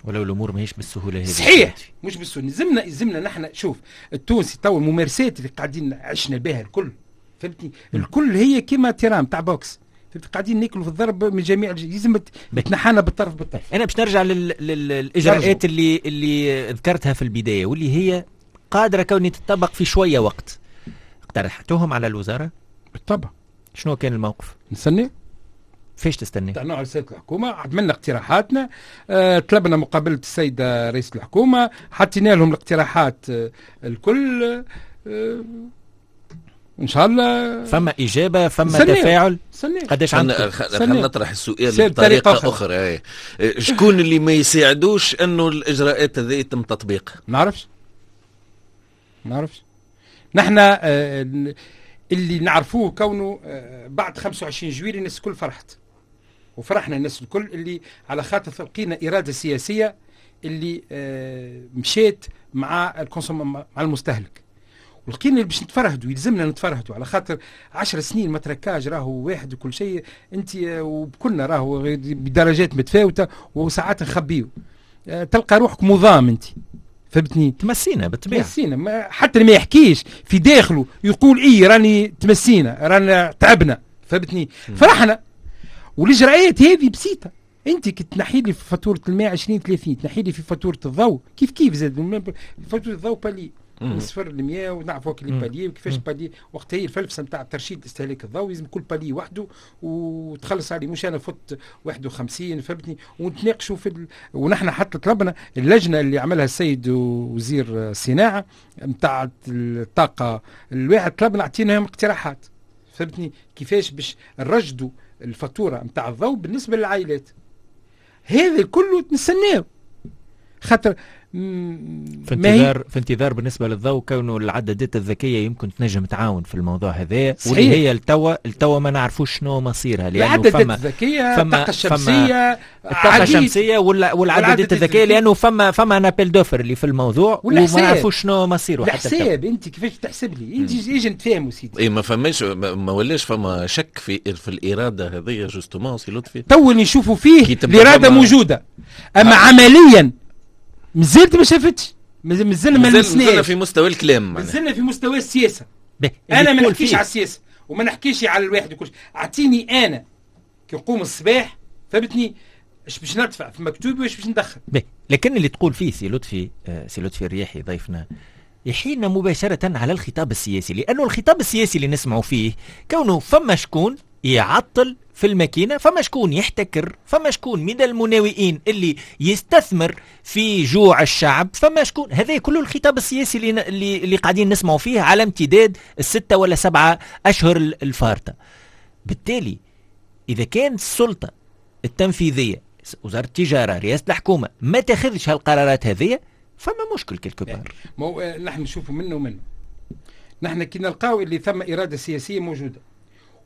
ولو الامور ماهيش بالسهولة هذه. صحيح مش بالسهوله. لازمنا نحن، شوف التونسي تو الممارسات اللي قاعدين عشنا بها الكل، فهمتني، الكل هي كيما terrain تاع boxe، فهمت، قاعدين ناكلوا في الضرب من جميع، لازم تنحانا بالطرف بالطرف. انا باش نرجع للاجراءات اللي ذكرتها في البداية واللي هي قادرة كوني تطبق في شوية وقت، اقترحتوهم على الوزارة؟ بالطبع. شنو كان الموقف؟ نستنى. فيش تستني؟ طلعنا على سيادة الحكومة، عملنا اقتراحاتنا، طلبنا مقابلة السيدة رئيس الحكومة، حطينا لهم الاقتراحات الكل، ان شاء الله فما اجابه، فما تفاعل. قداش عندك؟ خلينا نطرح السؤال بطريقة اخرى. شكون اللي ما يساعدوش انه الاجراءات هذه يتم تطبيقها؟ نعرفش نعرفش. نحن اللي نعرفوه كونه بعد 25 جويلية الناس الكل فرحت، وفرحنا الناس الكل اللي على خاطر لقينا إرادة سياسية اللي مشيت مع مع المستهلك، ولقينا اللي باش نتفرهدوا، يلزمنا نتفرهدوا على خاطر 10 سنين ما تركاج راهو واحد وكل شيء انت وكلنا راهو بدرجات متفاوتة وساعات نخبيو، تلقى روحك مضام انت، فهمتني؟ تمسينا بالطبيعة، تمسينا، حتى اللي ما يحكيش في داخله يقول اي راني تمسينا، رانا تعبنا، فهمتني؟ فرحنا. والاجراءات هذه بسيطة. انت كي تنحي لي في فاتورة الماء 20 30، تنحي لي في فاتورة الضوء كيف كيف زاد فاتورة الضوء palier من 0 ل 100، ونعرفوا les paliers وكيفاش palier. وقت هي الفلسفة نتاع ترشيد استهلاك الضوء، لازم كل palier وحده وتخلص عليه، مش انا فت 51، فهمتني؟ ونتناقشوا ونحن حتى طلبنا اللجنة اللي عملها السيد وزير الصناعة نتاع الطاقة الواحد، طلبنا اعطيناهم اقتراحات، فهمتني؟ كيفاش باش نرشدوا الفاتورة نتاع الضوء بالنسبة للعائلات. هذا كله نستناو خاطر في انتظار بالنسبة للضوء، كونه العدادات الذكية يمكن تنجم تعاون في الموضوع هذا، واللي هي التوا ما نعرفوش شنو مصيرها، لانه العدادات الذكيه، الطاقة الشمسيه، الطاقة الشمسية والعدادات الذكيه، لانه فما un appel d'offres اللي في الموضوع وما نعرفوش شنو مصيره. حتى الحساب انت كيفاش تحسب لي انت؟ ايش نتفاهموا سيدي؟ اي ما فماش، ما ولاش فما شك في الارادة هذه justement سي لطفي. تو اللي نشوفوا فيه الارادة موجوده، اما عمليا مازلت ما شافتش، مازلنا ما مازلنا في مستوى الكلام، مازلنا في مستوى السياسه. انا ما نحكيش على السياسة وما نحكيش على الواحد وكل شيء. اعطيني انا كي نقوم الصباح، فهمتني، اش باش ندفع في مكتوبي واش باش ندخل. لكن اللي تقول فيه سي لطفي، سي لطفي الرياحي ضيفنا، يحيلنا مباشرة على الخطاب السياسي، لأنه الخطاب السياسي اللي نسمعه فيه كونه فما شكون يعطل في الماكينة، فما شكون يحتكر، فما شكون من المناوئين اللي يستثمر في جوع الشعب، فما شكون. هذا كله الخطاب السياسي اللي قاعدين نسمعوا فيه على امتداد ال6 ولا 7 أشهر الفارطة. بالتالي إذا كان السلطة التنفيذية، وزارة التجارة، رئاسة الحكومة، ما تاخذش هالقرارات هذه، فما مشكل quelque part. ما نحن نشوفوا منه ومنه. نحن كي نلقاو اللي ثم إرادة سياسية موجودة،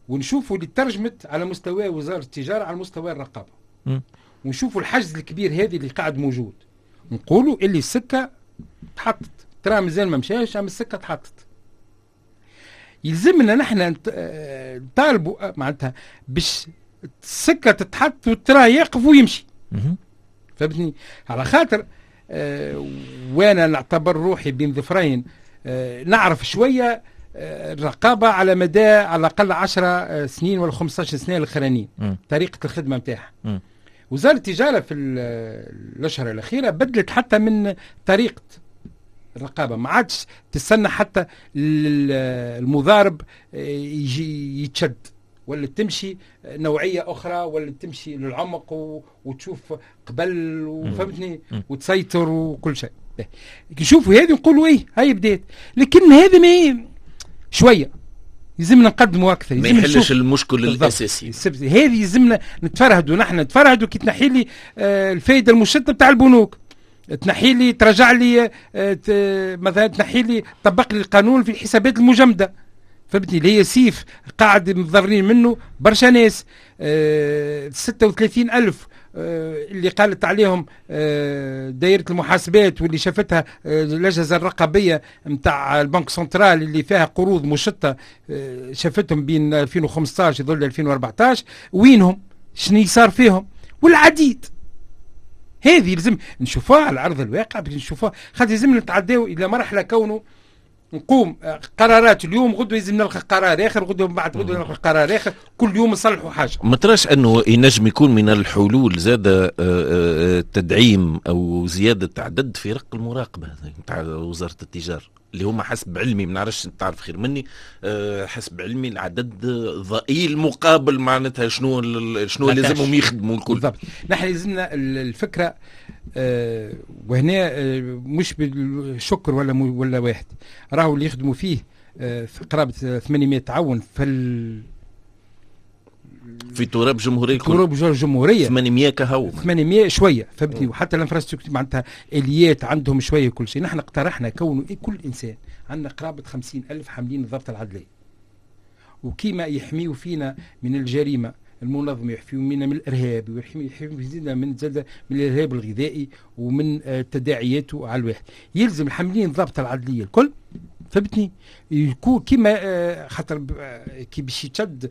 ونشوفوا اللي ترجمت على مستوى وزارة التجارة على مستوى الرقابة، ونشوفوا الحجز الكبير هذه اللي قاعد موجود، نقولوا اللي السكة تحطت، ترى مازال ما مشاش، اما السكة تحطت. يلزمنا نحن نطالبوا معناتها باش السكة تتحط والترى يقف ويمشي، فهمتني؟ على خاطر وانا نعتبر روحي بين ظفرين، نعرف شوية الرقابة على مدى على الأقل 10 سنين ولا 15 سنة الأخرانيين، طريقة الخدمة نتاعها. وزارة التجارة في الأشهر الأخيرة بدلت حتى من طريقة الرقابة، ما عادش تستنى حتى المضارب يجي يتشد، ولا تمشي نوعية أخرى، ولا تمشي للعمق وتشوف قبل، وفهمتني، وتسيطر وكل شيء. نشوفوا هذه نقولوا إيه هاي بدات، لكن هذا ما شوية يلزمنا نقدموا اكثر، ما يحلش المشكل الاساسي. هذه يلزمنا نتفرهدوا، نحن نتفرهدوا كي تنحي لي الفائدة المشطه بتاع البنوك، تنحي لي، ترجع لي مثلا، تنحي لي، طبق لي القانون في الحسابات المجمده، فهمتني، اللي هي سيف قاعد متضررين منه برشا ناس. 36,000 اللي قالت عليهم دائرة المحاسبات واللي شافتها الأجهزة الرقابية نتاع ال banque centrale اللي فيها قروض مشطة، شافتهم بين 2015 يظل 2014، وينهم؟ شنو صار فيهم؟ والعديد. هذه لازم نشوفوها على أرض الواقع، باش نشوفوها، خاطر لازم نتعداو إلى مرحلة كونه نقوم قرارات اليوم، غدوه لازم نلقى قرار اخر، غدوه بعد غدوه نلقى قرار اخر، كل يوم نصلحوا حاجة. ما تراش انه ينجم يكون من الحلول زاد تدعيم او زيادة عدد فرق المراقبة نتاع وزارة التجارة، اللي هما حسب علمي، ما نعرفش تعرف خير مني، حسب علمي العدد ضئيل مقابل معناتها شنو لازمهم يخدموا الكل. بالضبط، نحن لازمنا الفكرة وهنا مش بالشكر ولا واحد، راهو اللي يخدموا فيه في قرابة 800 تعاون في تراب جمهورية، تراب الجمهورية 800 كهو، 800 شوية، فهمتني؟ وحتى ال infrastructure معناتها اليات عندهم شوية كل شيء. نحن اقترحنا كونه كل انسان عندنا قرابة 50,000 حاملين الضبط العدلي، وكيما يحميوا فينا من الجريمة المنظمة، يحميوا منا من الارهاب، ويحميوا من من الارهاب الغذائي ومن تداعياته على الواحد. يلزم الحاملين الضبط العدليه الكل، فهمتني، يكون كيما خاطر كي باش يتشد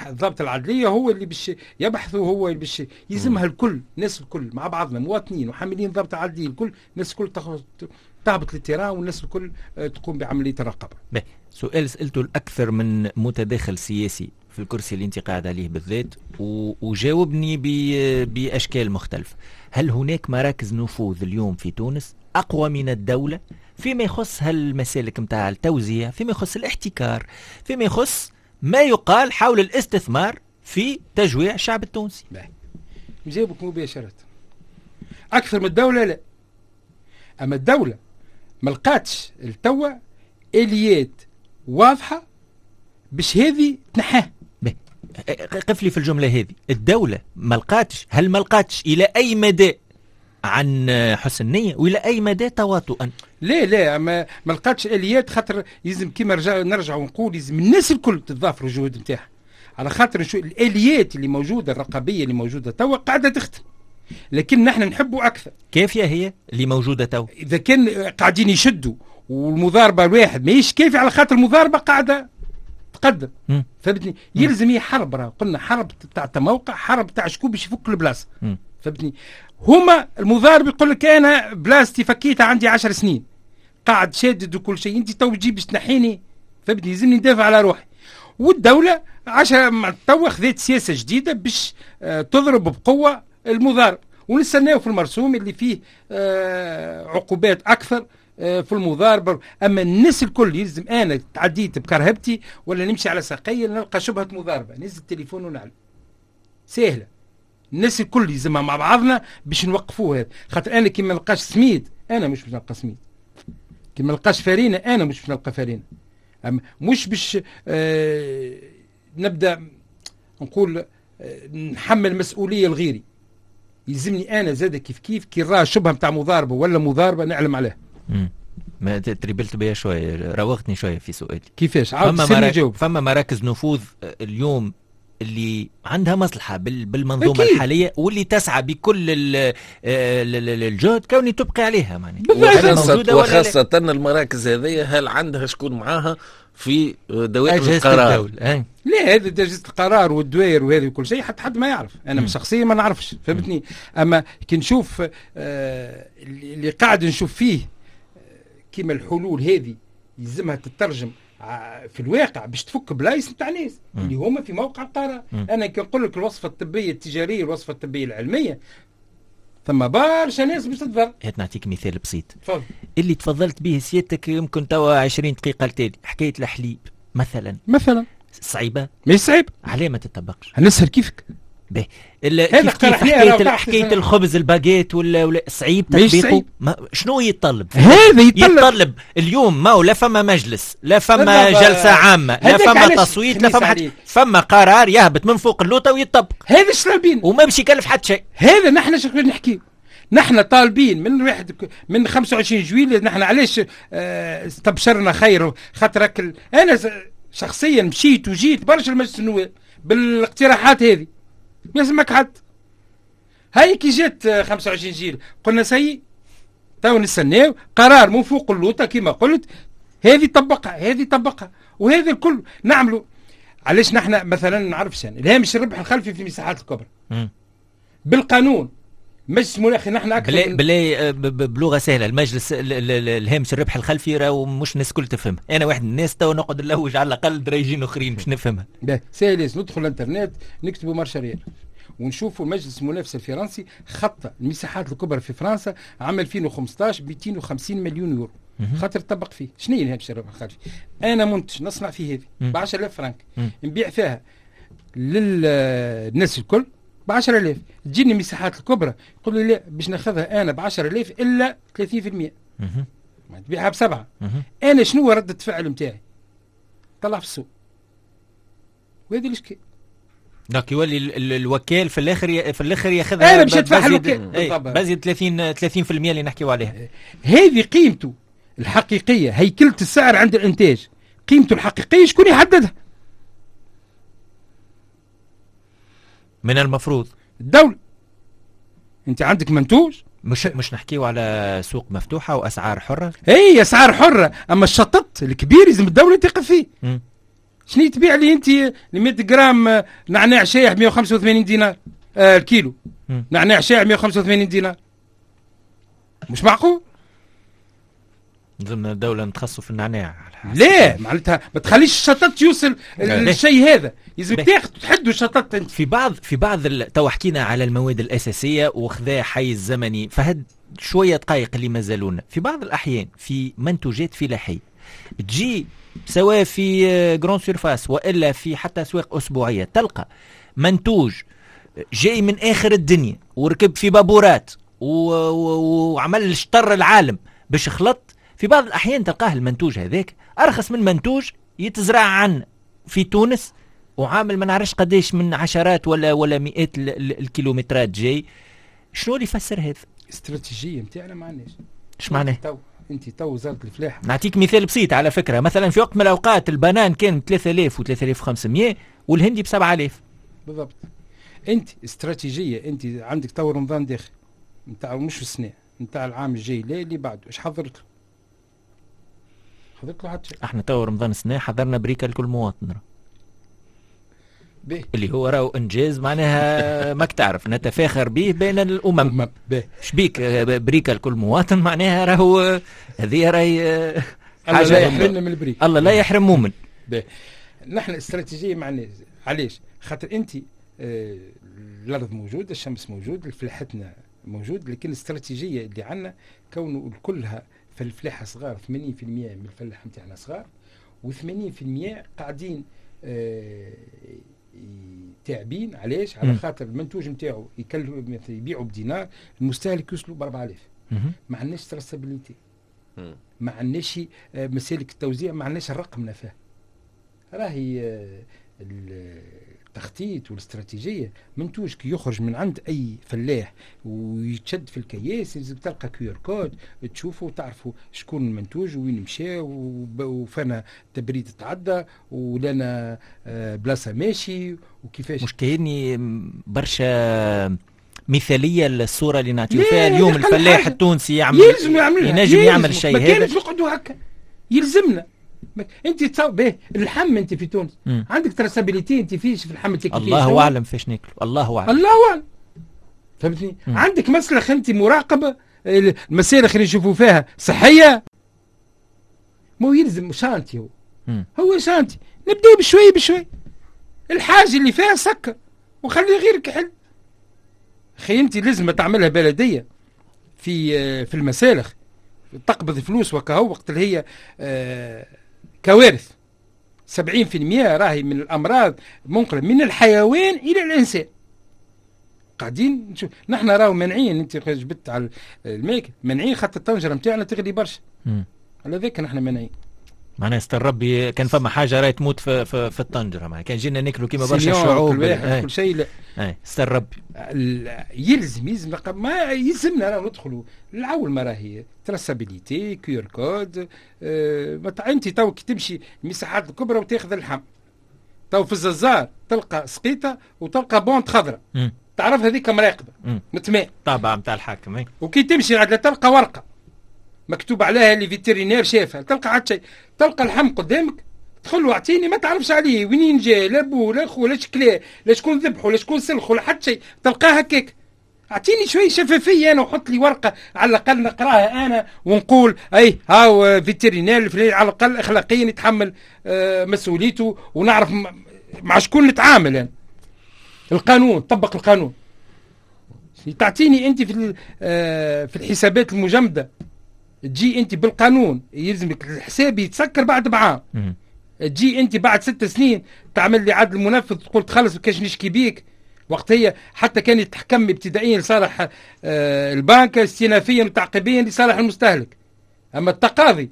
الضابط العدليه هو اللي باش يبحثوا، هو اللي باش يلزمها الكل، الناس الكل مع بعضنا، مواطنين وحاملين الضابط العدليه الكل، الناس الكل تهبط لل terrain، والناس الكل تقوم بعملية الرقابة. سؤال سالته الاكثر من متداخل سياسي في الكرسي اللي انت قاعد عليه بالذات، وجاوبني باشكال مختلفة. هل هناك مراكز نفوذ اليوم في تونس اقوى من الدولة فيما يخص هالمسالك نتاع التوزيع، فيما يخص الاحتكار، فيما يخص ما يقال حول الاستثمار في تجويع الشعب التونسي؟ نجاوبك مباشرة، أكثر من الدولة لا. أما الدولة ما لقاتش التوا آليات واضحة باش هذه تنحاه. قف لي في الجملة هذه، الدولة ما لقاتش، هل ما لقاتش إلى أي مدى عن حسن نية وإلى أي مدى تواطؤا؟ لا لا، ما لقاتش آليات، خاطر يلزم كيما نرجع ونقول يلزم الناس الكل تتضافر الجهود نتاعها، على خاطر شو الآليات اللي موجودة الرقابية اللي موجودة توا قاعدة تخدم، لكن نحن نحبوا أكثر. كافية هي اللي موجودة توا؟ إذا كان قاعدين يشدوا والمضاربة الواحد ماهيش كافية، على خاطر المضاربة قاعدة تقدم. فهمتني؟ يلزم هي حرب، راه قلنا حرب تاع تموقع، حرب تاع شكون باش يفك البلاصة. فهمتني؟ هما المضارب يقول لك أنا بلاصتي فكيتها عندي 10 سنين قاعد شادد وكل شيء، أنت تو تجي باش تنحيني، فهمتني؟ يلزمني ندافع على روحي. والدولة عشان توا خذت سياسة جديدة باش تضرب بقوة المضارب، ونستناو في المرسوم اللي فيه عقوبات أكثر في المضاربة. أما الناس الكل يلزم، أنا تعديت بكرهبتي ولا نمشي على ساقية نلقى شبهة مضاربة، نزل التليفون ونعلم، سهلة. الناس الكل يلزمها مع بعضنا باش نوقفوه هذا، خاطر أنا كي ما نلقاش سميد أنا مش باش نلقى سميد، كي ما نلقاش فرينة أنا مش باش نلقى فرينة. أما مش باش نبدأ نقول نحمل مسؤولية لغيري، يلزمني أنا زاد كيف كيف كي راه شبهة متاع مضاربة ولا مضاربة نعلم عليها. ما تريبلت بيا شوية، راوغتني شوية في سؤالي. كيفاش؟ عاود فما مراكز نفوذ اليوم اللي عندها مصلحة بالمنظومة أكيد. الحالية واللي تسعى بكل الجهد كوني تبقي عليها معناها. وخاصة المراكز هذه هل عندها شكون معاها في دوائر القرار؟ لا، هذا أجهزة القرار والدوائر وهذه وكل شيء حتى حد ما يعرف. أنا شخصيا ما نعرفش، فهمتني؟ أما كي نشوف اللي قاعد نشوف فيه كيما الحلول هذه يلزمها تترجم في الواقع باش تفك بلايص نتاع ناس اللي هما في موقع القرار. انا كي نقول لك الوصفة الطبية التجارية الوصفة الطبية العلمية، ثم برشا ناس باش تتضر. هات نعطيك مثال بسيط. تفضل. اللي تفضلت به سيادتك يمكن توا 20 دقيقة التالي، حكاية الحليب مثلا صعيبة؟ مش صعيب. علاه ما تطبقش؟ نسهل كيفك. به حكاية الخبز الباجيت ولا صعيب تطبيقه؟ شنو يتطلب؟ هذا يتطلب اليوم، ما هو لا فما مجلس، لا فما جلسة عامة، لا فما تصويت، لا فما حد، فما قرار يهبط من فوق اللوطة ويتطبق. هذا اش طالبين؟ وما باش يكلف حد شيء. هذا نحن شو نحكي؟ نحن طالبين من واحد من 25 جويلية. نحن علاش استبشرنا خير؟ خاطر انا شخصيا مشيت وجيت برشا المجلس النواب بالاقتراحات هذه، ما يسمعك حد. هاي كي جات 25 جيل قلنا سي تو نستناو قرار من فوق اللوطه كما قلت، هذه طبقها هذه طبقها وهذا الكل نعملوا. علاش نحن مثلا نعرفش يعني الهامش الربح الخلفي في المساحات الكبرى بالقانون مجلس مناخي نحن اكثر بلا بلغه سهلة، المجلس الهامش الربح الخلفي راهو مش الناس الكل تفهم. انا واحد من الناس تو نقعد نلوج على الاقل دراجين اخرين باش نفهمها. ساهل، ندخل الانترنت نكتبوا marche arrière ونشوفوا مجلس المنافسة الفرنسي خط المساحات الكبرى في فرنسا عام 2015 ب 250 مليون يورو خاطر طبق فيه. شنو هي الهامش الربح الخلفي؟ انا منتج نصنع فيه هذه ب 10000 فرنك، نبيع فيها للناس الكل ب 10000، تجيني المساحات الكبرى يقول لي لا باش ناخذها انا ب 10000 الا 30%، ما تبيعها بسبعة. انا شنو ردة الفعل نتاعي؟ طلع في السوق. وهذه الاشكال. donc يولي الوكيل في الاخر ياخذها. انا باش ندفعها الوكيل بزيد 30% اللي نحكيو عليها. هذه قيمته الحقيقية، هيكله السعر عند الانتاج، قيمته الحقيقية شكون يحددها؟ من المفروض الدولة. انت عندك منتوج، مش نحكيو على سوق مفتوحة واسعار حرة. اي اسعار حرة، اما الشطط الكبير لازم الدولة تقف فيه. شنو تبيع لي انت 100 جرام نعناع شايح 185 دينار الكيلو؟ نعناع شايح 185 دينار، مش معقول. لازمنا الدولة نتخصصوا في النعناع. لا معناتها ما تخليش الشطط يوصل للشيء هذا، لازم تاخذ تحدوا الشطط انت. في بعض تو حكينا على المواد الاساسية وخذا حيز زمني، فهد شوية دقائق اللي مازالونا. في بعض الاحيان في منتوجات فلاحية تجي سواء في grande surface والا في حتى اسواق اسبوعية، تلقى منتوج جاي من اخر الدنيا وركب في بابورات وعمل شطر العالم باش خلط. في بعض الأحيان تلقاه المنتوج هذاك أرخص من منتوج يتزرع عن في تونس وعامل ما نعرفش قداش من عشرات ولا مئات الكيلومترات جاي. شنو اللي يفسر هذا؟ استراتيجية نتاعنا ما عندناش. ايش معناه؟ انت تو وزارة الفلاحة. نعطيك مثال بسيط على فكرة، مثلا في وقت من الأوقات البنان كان 3000 و 3500 والهندي ب 7000. بالضبط. انت استراتيجية، انت عندك تو رمضان داخل نتاع مش السنة نتاع العام الجاي، لا اللي بعده، ايش حضرت له؟ حضرت له حتى شيء. احنا تو رمضان السنة حضرنا بريكه لكل مواطن اللي هو راهو انجاز معناها ماك تعرف نتفاخر به بين الامم. شبيك بريكه لكل مواطن معناها راهو هذه راهي حاجة الله لا يحرمنا من البريك، الله لا يحرم مؤمن. نحن استراتيجية معناها علاش؟ خاطر انت الارض موجودة، الشمس موجود، فلاحتنا موجود، لكن الاستراتيجية اللي عندنا كونه كلها في الفلاحة صغار، 80% من الفلاحة نتاعنا صغار، و80% قاعدين تعبين. علاش؟ على خاطر المنتوج نتاعو يبيعوا بدينار، المستهلك يوصلوا ب 4000. ما عندناش traçabilité، ما عندناش مسالك التوزيع، ما عندناش الرقم نفاه. راهي التخطيط والاستراتيجيه، منتوج كي يخرج من عند اي فلاح ويتشد في الكياس لازم تلقى QR code تشوفوا وتعرفوا شكون المنتوج وين مشى وفنا تبريد تعدى ولنا بلاصة ماشي وكيفاش. مش كايني برشا مثاليه الصورة اللي نعطيو فيها اليوم. الفلاح التونسي يعمل، ينجم يعمل الشيء هذا، ما كانش نقعدوا هكا، يلزمنا. انت تصور به اللحم انت في تونس عندك traçabilité، انت فيش في اللحم تاكل، الله اعلم فاش ناكلوا، الله اعلم، الله اعلم، فهمتني؟ عندك مسلخ انت مراقبة، المسالخ اللي نشوفوا فيها صحية، مو يلزم chantier، هو هو chantier، نبداو بشوي بشوي، الحاجة اللي فيها سكر وخلي غيرك يحل. اخي انت لازم تعملها بلديه في المسالخ، تقبض فلوس وكهو وقت اللي هي كوارث. 70% راهي من الامراض منقله من الحيوان الى الانسان. قاعدين نشوف نحن راهو مانعين، انت جبت على الماكل مانعين خاطر الطنجره نتاعنا تغلي برشا، على ذاك نحن مانعين. معناها استر ربي كان فما حاجة راهي تموت في الطنجره، معناها كان جينا ناكلوا كيما برشا شعوب كل واحد كل شيء. لا استر ربي يلزم ما يلزمنا راه ندخلوا العول، ما راهي traçabilité QR code. انت تو كي تمشي المساحات الكبرى وتاخذ اللحم تو في الززار تلقى سقيطه وتلقى bande خضراء، تعرف هذيك مراقبة متماء طابع نتاع الحاكم. وكي تمشي عاد تلقى ورقة مكتوب عليها اللي vétérinaire شافها، تلقى عاد شيء، تلقى اللحم قدامك تدخل واعطيني ما تعرفش عليه وين جا، لا بو لا خو لا شكلاه لا شكون ذبحه لا شكون سلخه لا حتى شيء، تلقاه هكاك. اعطيني شوية شفافية انا وحط لي ورقة على الاقل نقراها انا ونقول اي هاو vétérinaire على الاقل اخلاقيا يتحمل مسؤوليته ونعرف مع شكون نتعامل انا. القانون، طبق القانون. تعطيني انت في الحسابات المجمده تجي انت بالقانون يلزمك الحساب يتسكر بعد بعام. تجي انت بعد 6 سنين تعمل لي عدل منفذ تقول تخلص كاش نشكي بيك. وقتها حتى كان يتحكم ابتدائيا لصالح البنك، استئنافيا وتعقيبيا لصالح المستهلك. اما التقاضي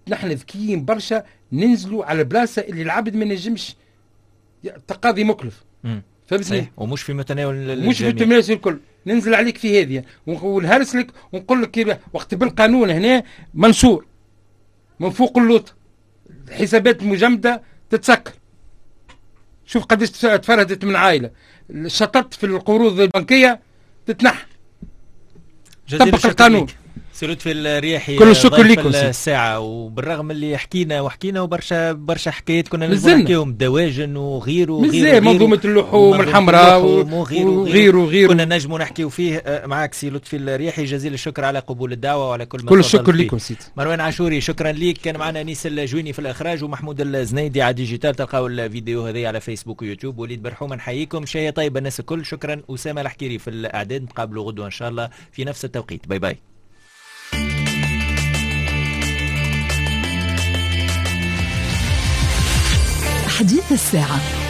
نحن ذكيين برشا، ننزلوا على بلاصة اللي العبد ما نجمش، التقاضي مكلف. فهمتني؟ ومش في متناول، مش في متناول الكل. ننزل عليك في هذه ونهرس لك ونقول لك وقت بالقانون هنا منشور من فوق اللوط، الحسابات المجمده تتسكر. شوف قداش تفرهدت من عائلة، شططت في القروض البنكية تتنحى. طبق القانون. سي لطفي الرياحي، كل الشكر لكم. الساعة، وبالرغم اللي حكينا وحكينا وبرشا برشا حكايات كنا نجموا نحكيهم، دواجن وغيره وغيره، منظومة اللحوم الحمراء وغيره وغيره وغيره كنا نجموا نحكيو فيه معك سي لطفي الرياحي. جزيل الشكر على قبول الدعوة وعلى كل ما كل الشكر لكم سيدي. مروان عاشوري شكرا ليك. كان معنا انيس الجويني في الاخراج ومحمود الزنيدي على digital. تلقاو الفيديو هذه على فيسبوك ويوتيوب. وليد برحومة نحييكم، شهية طيبة الناس الكل. شكرا أسامة الحكيري في الإعداد. نتقابلوا غدوة إن شاء الله في نفس التوقيت. bye bye. حديث الساعة.